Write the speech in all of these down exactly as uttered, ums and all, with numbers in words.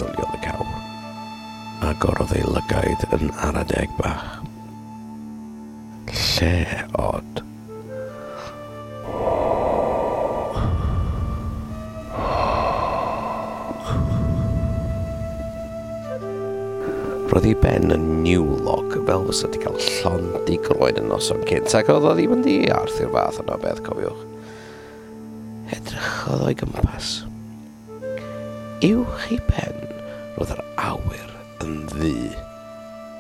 Meddyliodd y cawr. Agorodd ei lygaid yn ara deg bach. Lle od. Roedd ei ben yn niwlog, fel fysa wedi cael llond ei groen yn noson cynt, ac oedd o ddim yn ddiarth i'r fath yna beth, cofiwch. Edrychodd o'i gwmpas. Uwch ei ben, roedd yr awyr yn ddu,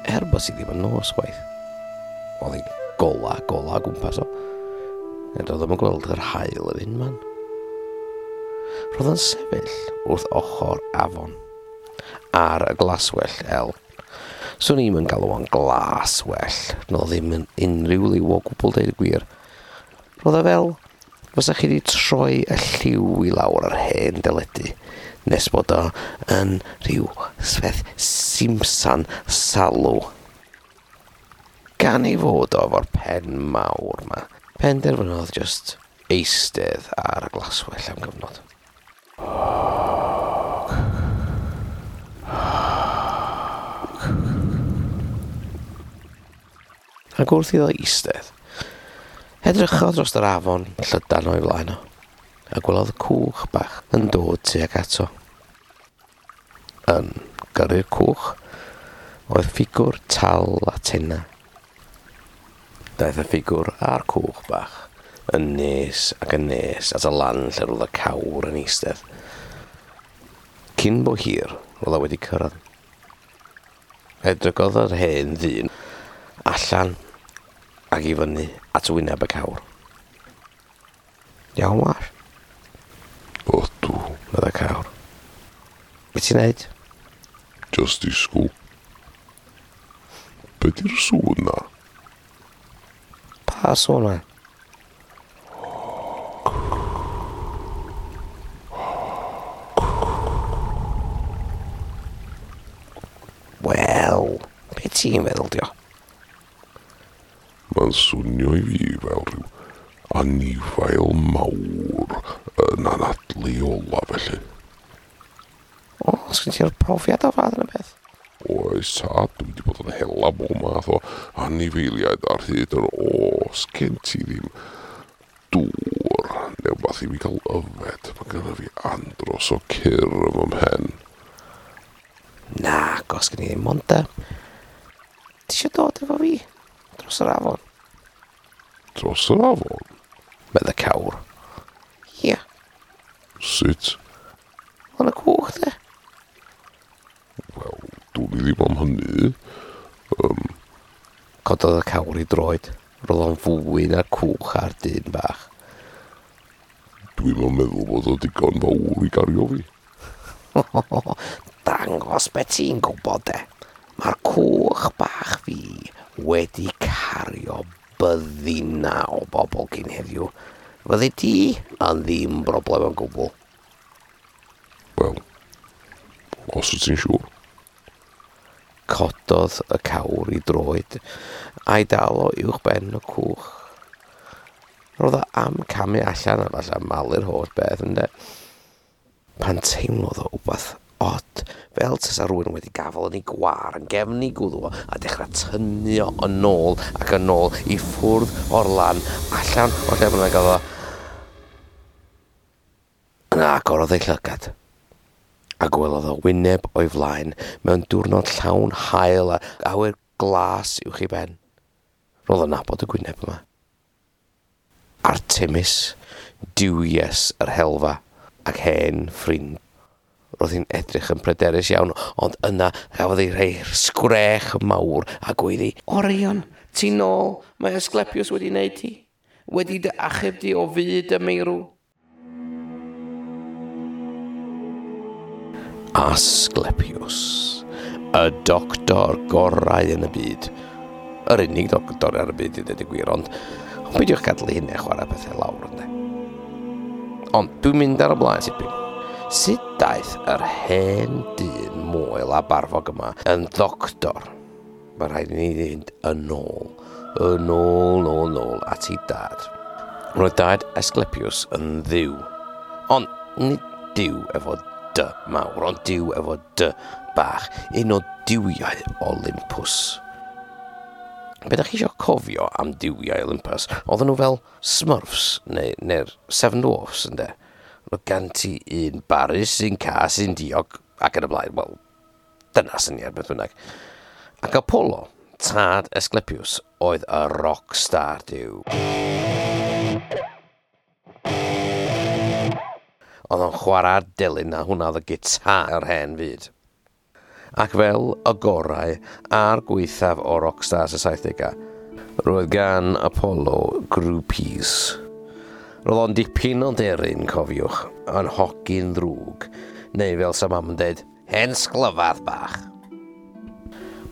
er bod si ddim yn nos chwaith. Oedd hi'n gola, gola o gwmpas o. Nid oedd ddim yn gweld yr haul yn unman. Roedd yn sefyll wrth ochr afon, ar y glaswellt el. Swn i'm yn galw o'n glaswellt, no ddim yn unrhyw liw o gwbl deud y gwir. Roedd o fel fysa chi wedi troi y lliw i lawr ar hen deledu, nes bod o yn rhyw sfeth simsan salw. Gan ei fod o efo'r pen mawr ma, penderfynodd just eistedd ar y glaswellt am gyfnod. Ac wrth iddo eistedd, edrychodd dros yr afon llydan o'i flaen o, a gwelodd cwch bach yn dod tuag ato. Yn gyrru'r cwch oedd ffigwr tal a tenna. Daeth y ffigwr a'r cwch bach yn nes ac yn nes at y lan lle roedd y cawr yn eistedd. Cyn bo hir, roedd o wedi cyrraedd. Edrychodd yr hen ddyn allan ac i fyny at wyneb y cawr. Iawn, war? Ydw, medda cawr. Be ti'n neud? Just disgwyl. Be di'r sŵn na? Pa sŵn na? Wel, be ti'n meddwl dio? Mae'n swnio i fi fel rhyw anifail mawr yn anadlu ola felly. O, sgyn ti'r profiad o fath yn y beth? Oes tad, dwi wedi bod yn hela bob math o anifeiliaid ar hyd yr oes. Gen ti ddim dŵr neu wbath i fi gael yfed. Mae gynna fi andros o cyr yn fy mhen. Na, gos gen i ddim ond de. Ti isio dod efo fi? Dros yr afon. Dros yr afon? Medda cawr. Ia. Sut? Yn y cwch, de. Wel, dwn i ddim am hynny. Um. Cododd y cawr i droed. Roedd o'n fwy na'r cwch a'r dyn bach. Dwi'm yn meddwl bod o digon fawr i gario fi. Dangos be ti'n gwybod, de. Mae'r cwch bach fi wedi cario byddina o bobl cyn heddiw. Fyddi ti yn ddim broblem o gwbl. Wel, os wyt ti'n siŵr. Cododd y cawr i droed a'i dal o uwch ben y cwch. Roedd o am camu allan a falle malu'r holl beth, ynde. Pan teimlodd o wbath od, fel tasa rhywun wedi gafel yn ei gwar yn gefn ei gwddw o a dechrau tynnu o yn ôl ac yn ôl i ffwrdd o'r lan, allan o'r lle bynnag oedd o. Yna agorodd ei llygad a gwelodd o wyneb o'i flaen mewn diwrnod llawn haul a awyr glas uwch ei ben. Roedd o'n nabod y gwyneb yma. Artemis, duwies yr helfa ac hen ffrind. Roedd hi'n edrych yn pryderus iawn, ond yna gafodd ei rhoi sgrech mawr a gweiddi, Orion, ti nôl, mae Asclepius wedi wneud ti, wedi dy achub di o fyd y meirw. Asclepius, y doctor gorau yn y byd. Yr unig doctor ar y byd i ddweud y gwir, ond peidiwch gadael i hynny chwarae pethau lawr, ynde. Ond dwi'n mynd ar y blaen tipyn. Sut daeth yr hen dyn moel a barfog yma yn ddoctor? Mae rhaid i ni fynd yn ôl, yn ôl, nôl, nôl at ei dad. Roedd dad Asclepius yn dduw, ond nid duw efo D mawr, ond duw efo D bach, un o duwiau Olympus. Be da chi eisiau cofio am duwiau Olympus? Oedden nhw fel Smurfs neu, neu'r Seven Dwarfs, ynde? Roedd gan ti un barus, un cas, un diog, ac yn y blaen. Wel, dyna syniad beth bynnag. Ac Apollo, tad Asclepius, oedd y rockstar duw. Oedd o'n chwarae'r delyn a hwnna oedd y gitar yr hen fyd. Ac fel y gorau a'r gweithaf o rockstars y saithdegau, roedd gan Apollo groupies. Roedd o'n dipyn o deryn, cofiwch, yn hogyn ddrwg, neu fel sa mam yn deud, hen sglyfadd bach.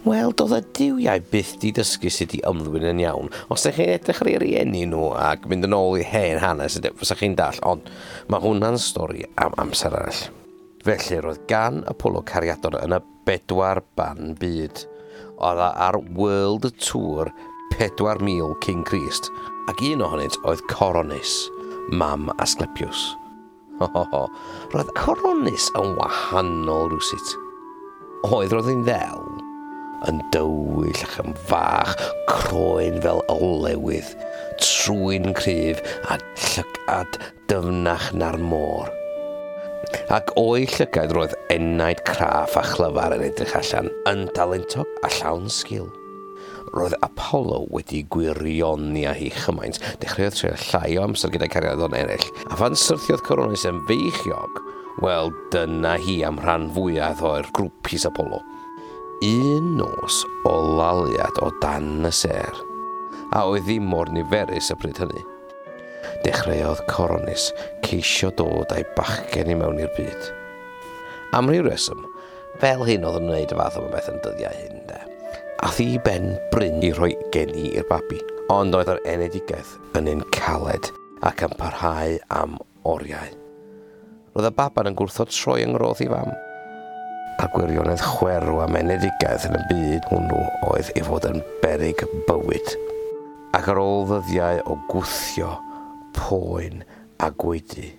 Wel, doedd y duwiau byth di dysgu sut i ymddwyn yn iawn. Os ydych chi'n edrych ar ei rieni nhw ac mynd yn ôl i hen hanes, fysa chi'n dall, ond mae hwnna'n stori am amser arall. Felly, roedd gan Apollo cariadon yn y bedwar ban byd. Oedd ar World Tour pedwar mil cyn Crist, ac un ohonynt oedd Coronis, mam Asclepius. Ho, ho, ho. Roedd Coronis yn wahanol rywsut. Oedd roedd hi'n ddel, yn dywyll ac yn fach, croen fel olewydd, trwyn cryf a llygad dyfnach na'r môr. Ac o'i llygaid roedd enaid craff a chlyfar yn edrych allan, yn dalentog a llawn sgil. Roedd Apollo wedi gwirioni â hi chymaint, dechreuodd treulio llai o amser gyda'i cariadon eraill, a phan syrthiodd Coronis yn feichiog, wel dyna hi am rhan fwyaf o'r grwpis Apollo. Un nos o laliad o dan y sêr, a oedd ddim mor niferus y pryd hynny. Dechreuodd Coronis ceisio dod â'i bachgen i mewn i'r byd. Am ryw reswm, fel hyn oedd yn wneud y fath o beth yn dyddiau hyn, de. Ath i ben bryn i rhoi geni i'r babi, ond oedd yr enedigaeth yn un caled ac yn parhau am oriau. Roedd y baban yn gwrthod troi yng ngroth i fam. A'r gwirionedd chwerw am enedigaeth yn y byd hwnnw oedd ei fod yn beryg bywyd. Ac ar ôl ddyddiau o gwthio, poen a gwaedu,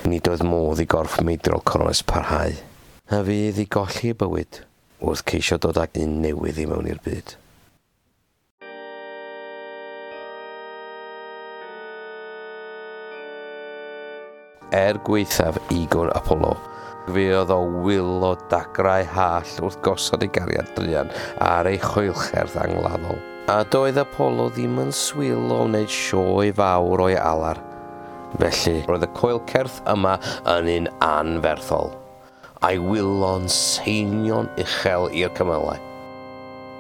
nid oedd modd i gorff meidrol Coronis parhau, a fydd i golli ei bywyd wrth ceisio dod ag un newydd i mewn i'r byd. Er gwaethaf ego'r Apollo, fe oedd o wylo dagrau hall wrth gosod ei gariad druan ar ei choelcherdd angladdol. A doedd Apollo ddim yn swil o wneud sioe fawr o'i alar. Felly, roedd y coelcerth yma yn un anferthol, a'i wylo'n seinio'n uchel i'r cymylau.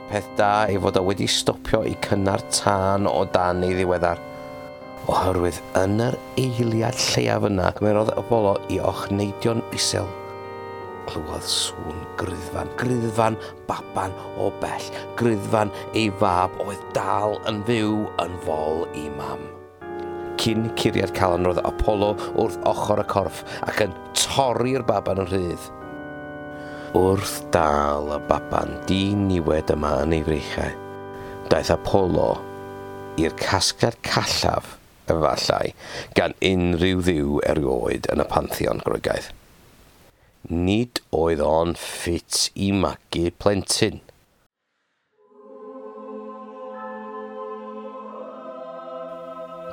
Peth da ei fod o wedi stopio i cynnar tân o dan ei ddiweddar, oherwydd yn yr eiliad lleiaf yna cymerodd Apollo i ochneidio'n isel. Clywodd sŵn griddfan, griddfan baban o bell, griddfan ei fab oedd dal yn fyw yn fol i mam. Cyn curiad calon roedd Apollo wrth ochr y corff ac yn torri'r baban yn rhydd. Wrth dal y baban diniwed yma yn ei freichau, daeth Apollo i'r casgliad callaf, efallai, gan unrhyw dduw erioed yn y pantheon Groegaidd. Nid oedd o'n ffit i magu plentyn.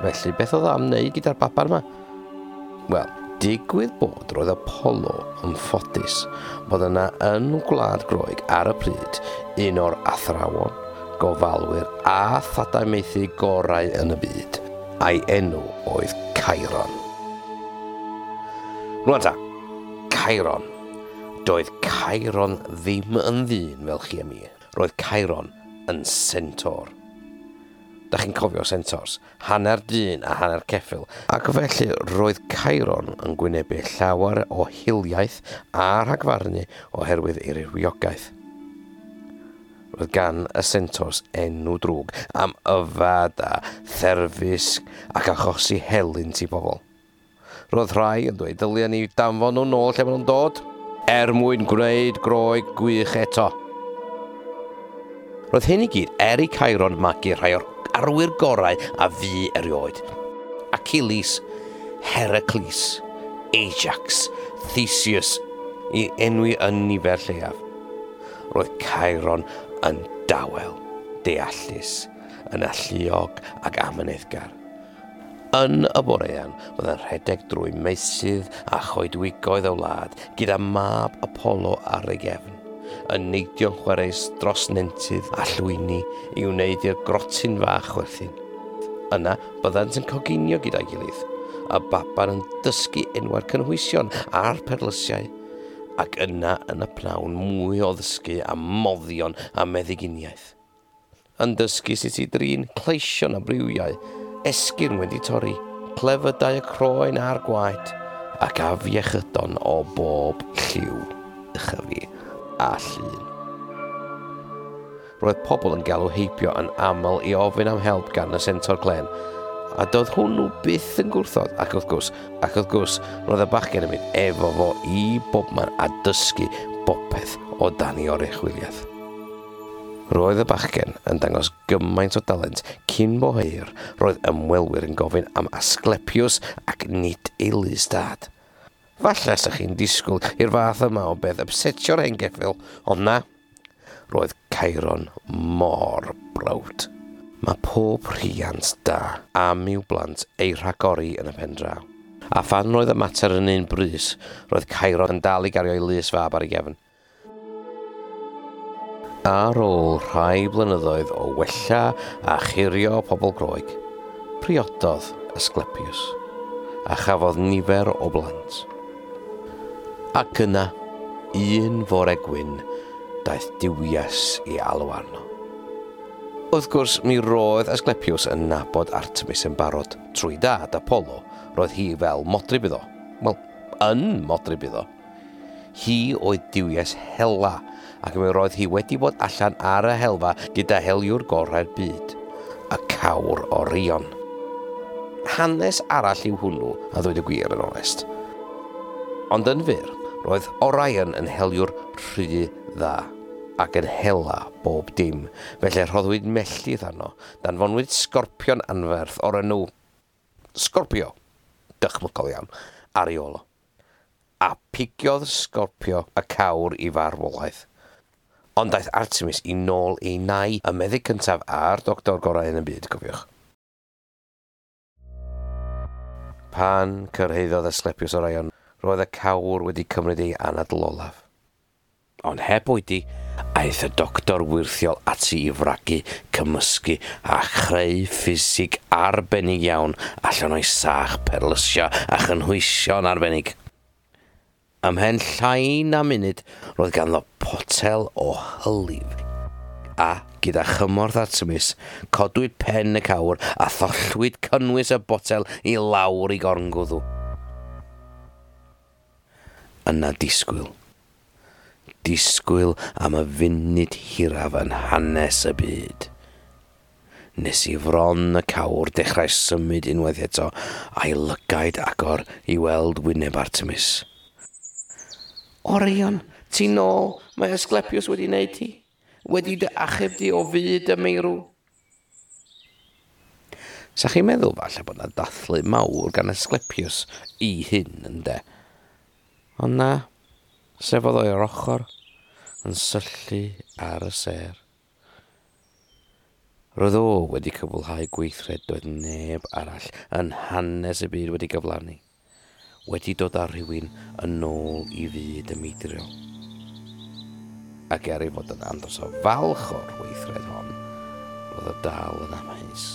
Felly, beth oedd am wneud gyda'r baban yma? Wel, digwydd bod roedd Apollo yn ffodus bod yna yn Gwlad Groeg ar y pryd un o'r athrawon, gofalwyr a thadau maethu gorau yn y byd, a'i enw oedd Chiron. Rwan ta, Chiron. Doedd Chiron ddim yn ddyn fel chi a mi. Roedd Chiron yn centaur. Da chi'n cofio centaurs, hanner dyn a hanner ceffyl. Ac felly roedd Chiron yn gwynebu llawer o hiliaeth a rhagfarnu oherwydd ei rywiogaeth. Roedd gan y centaurs enw drwg am yfad a therfysg ac achosi helynt i bobl. Roedd rhai yn dweud dylia ni danfon nhw nôl lle maen nhw'n dod, er mwyn gwneud Groeg gwych eto. Roedd hyn i gyd er i Chiron magu rhai o'r arwyr gorau a fu erioed. Achilles, Heracles, Ajax, Theseus i enwi yn nifer lleiaf. Roedd Chiron yn dawel, deallus, yn alluog ac amyneddgar. Yn y borean, byddai'n rhedeg drwy meysydd a choedwigoedd y wlad gyda mab Apollo ar ei gefn, yn neidio'n chwareus dros nentydd a llwyni i wneud i'r grotyn fach chwerthin. Yna, byddant yn coginio gyda'i gilydd, a baban yn dysgu enwau'r cynhwysion a'r perlysiau, ac yna yn y pnawn mwy o ddysgu a moddion a meddyginiaeth. Yn dysgu sut i drin cleision a briwiau, esgyrn wedi torri, clefydau y croen a'r gwaed, ac afiechydon o bob lliw, ychyfu a llun. Roedd pobl yn galw heibio yn aml i ofyn am help gan y Sentor Glen, a doedd hwnnw byth yn gwrthod, ac wrth gwrs, ac wrth gwrs, roedd y bachgen yn mynd efo fo i bobman a dysgu bopeth o dan ei oruchwyliaeth. Roedd y bachgen yn dangos gymaint o dalent cyn bo hir, roedd ymwelwyr yn gofyn am Asclepius ac nid ei lys dad. Falle sa chi'n disgwyl i'r fath yma o beth upsetio'r hen geffyl, ond na, roedd Chiron mor browd. Mae pob rhiant da am i'w blant ei rhagori yn y pen draw. A phan roedd y mater yn un brys, roedd Chiron yn dal i gario ei lys fab ar ei gefn. Ar ôl rhai blynyddoedd o wella a churio pobl Groeg, priododd Asclepius a chafodd nifer o blant. Ac yna, un fore gwyn, daeth duwies i alw arno. Wrth gwrs, mi roedd Asclepius yn nabod Artemis yn barod. Trwy dad Apollo, roedd hi fel modryb iddo. Wel, yn modryb iddo. Hi oedd duwies hela, ac mi roedd hi wedi bod allan ar y helfa gyda heliwr gorau'r byd, y cawr Orion. Hanes arall yw hwnnw, a ddweud y gwir yn onest. Ond yn fyr, roedd Orion yn heliwr rhy dda, ac yn hela bob dim, felly rhoddwyd melltith arno, danfonwyd sgorpion anferth o'r enw Scorpio, dychmygol iawn, ar ei ôl o. A pigiodd Scorpio y cawr i farwolaeth. Ond daeth Artemis i nôl ei nai, y meddyg cyntaf a'r doctor gorau yn y byd, cofiwch. Pan cyrhaeddodd Asclepius Orion, roedd y cawr wedi cymryd ei anadl olaf. Ond heb oedi, aeth y doctor wyrthiol ati i fragu, cymysgu a chreu ffisig arbennig iawn allan o'i sach perlysio a chynhwysion arbennig. Ymhen llai na munud, roedd ganddo potel o hylif. A, gyda chymorth Artemis, codwyd pen y cawr a thollwyd cynnwys y botel i lawr i gorngwddw. Yna disgwyl. Disgwyl am y funud hiraf yn hanes y byd. Nes i fron y cawr dechrau symud unwaith eto, a'i lygaid agor i weld wyneb Artemis. Orion, ti nôl, mae Asclepius wedi wneud ti. Wedi dy achub di o fyd y meirw. Sa chi'n meddwl falle bod 'na dathlu mawr gan Asclepius i hyn, ynde? Ond na, sefodd o'r ochr yn syllu ar y sêr. Roedd o wedi cyflhau gweithred doedd neb arall yn hanes y byd wedi gyflawni, wedi dod â rhywun yn ôl i fyd y meidriol. Ac er ei fod yn andros o falch o'r weithred hon, roedd o dal yn amheus.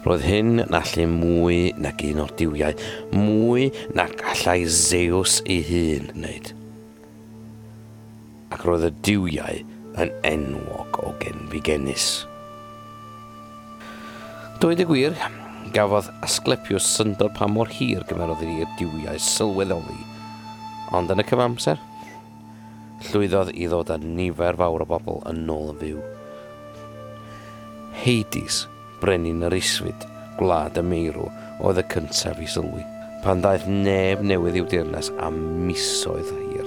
Roedd hyn yn allu mwy nag un o'r duwiau, mwy nag allai Zeus ei hun wneud. Ac roedd y duwiau yn enwog o genfigennus. Dweud y gwir, gafodd Asclepius syndod pa mor hir gymerodd i'r duwiau sylweddoli, ond yn y cyfamser, llwyddodd i ddod â nifer fawr o bobl yn ôl yn fyw. Hades, brenin yr isfyd, gwlad y meirw, oedd y cyntaf i sylwi, pan ddaeth neb newydd i'w deyrnas am misoedd hir.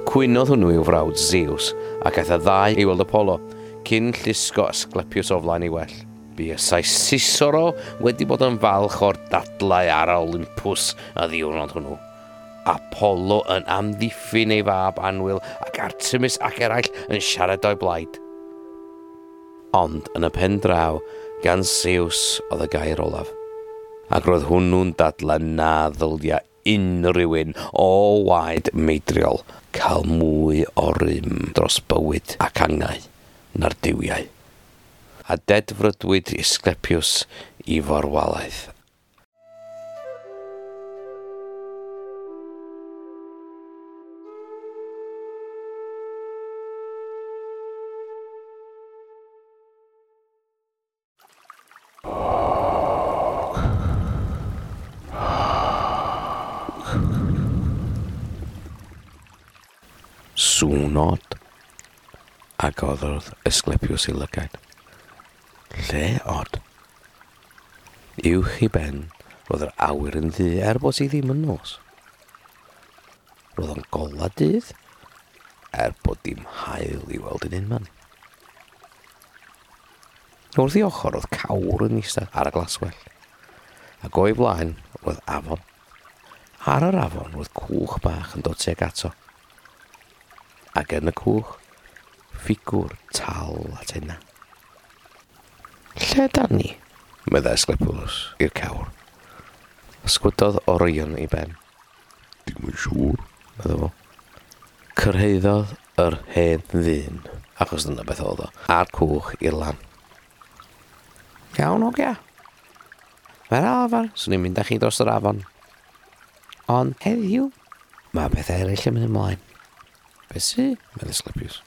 Cwynodd hwnnw i'w frawd Zeus, ac aeth y ddau i weld Apollo, cyn llusgo Asclepius o flaen ei well. Buasai Cicero wedi bod yn falch o'r dadlau ar Olympus y ddiwrnod hwnnw. Apollo yn amddiffyn ei fab annwyl ac Artemis ac eraill yn siarad o'i blaid. Ond yn y pen draw, gan Zeus oedd y gair olaf. Ac roedd hwnnw'n dadla na ddylia unrhyw un o waed meidriol cael mwy o rym dros bywyd ac angau na'r duwiau. A dedfrydwyd Asclepius i farwolaeth. Sŵn od, agorodd Asclepius ei lygaid. Lle od? Uwch ei ben, roedd yr awyr yn ddu er bod hi ddim yn nos. Roedd o'n gola dydd, er bod dim haul i weld yn unman. Wrth ei ochr oedd cawr yn eistedd ar y glaswellt, ac o'i flaen roedd afon. Ar yr afon roedd cwch bach yn dod tuag ato. Ac yn y cwch, ffigwr tal a tenna. Lle dan ni? Meddai Asclepius i'r cawr. Ysgwydodd Orion ei ben. Dim yn siŵr, medda fo. Cyrhaeddodd yr hen ddyn, achos dyna beth oedd o, a'r cwch i'r lan. Iawn, hogia. Fel arfer, swn i'n mynd â chi dros yr afon. Ond heddiw, mae pethau eraill yn mynd ymlaen. Be sy? Meddai Asclepius.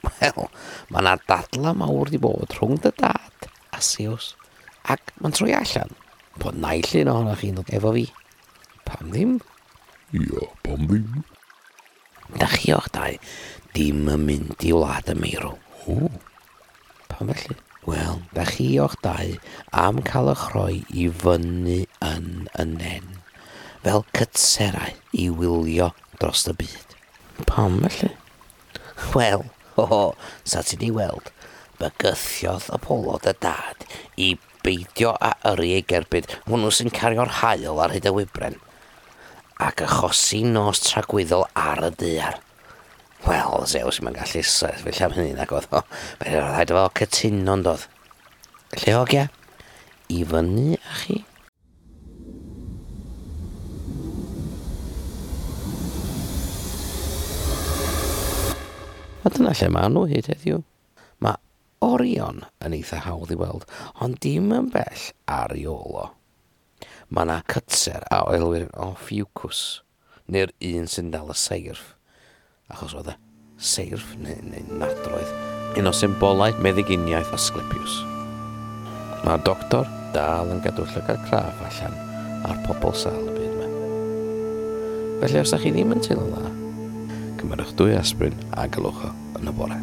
Wel, mae yna dadla mawr di bod rhwng dy dad a Zeus, ac mae'n troi allan bod naill un ohonoch chi'n dod efo fi. Pam ddim? Ia, pam ddim? Da chi o'ch dau dim yn mynd i wlad y meirw. O. Pam felly? Wel, da chi o'ch dau am cael eich rhoi i fyny yn y nen, fel cytserau i wylio dros y byd. Pam felly? Wel, ho ho, sa ti di weld, bygythiodd Apollo dy dad i beidio a yrru ei gerbyd hwnnw sy'n cario'r haul ar hyd y wybren, ac achosi nos tragwyddol ar y daear. Wel, Zeus mae'n gallu sefyll am hynny nag oedd o. Fe rhaid efo cytuno'n doedd. Lle hogia? I fyny â chi? A dyna lle maen nhw hyd heddiw. Mae Orion yn eitha hawdd i weld, ond dim yn bell ar ei ôl o. Mae yna cytser a elwir yn Ophiuchus, neu'r un sy'n dal y seirff, achos oedd y seirff neu, neu nadroedd, un o symbolau meddyginiaeth Asclepius. Mae'r doctor dal yn gadw llygad craff allan ar pobl sâl y byd yma. Felly os ydych chi ddim yn teimlo'n dda, cymerwch dwy aspirin a galwch o yn y bore.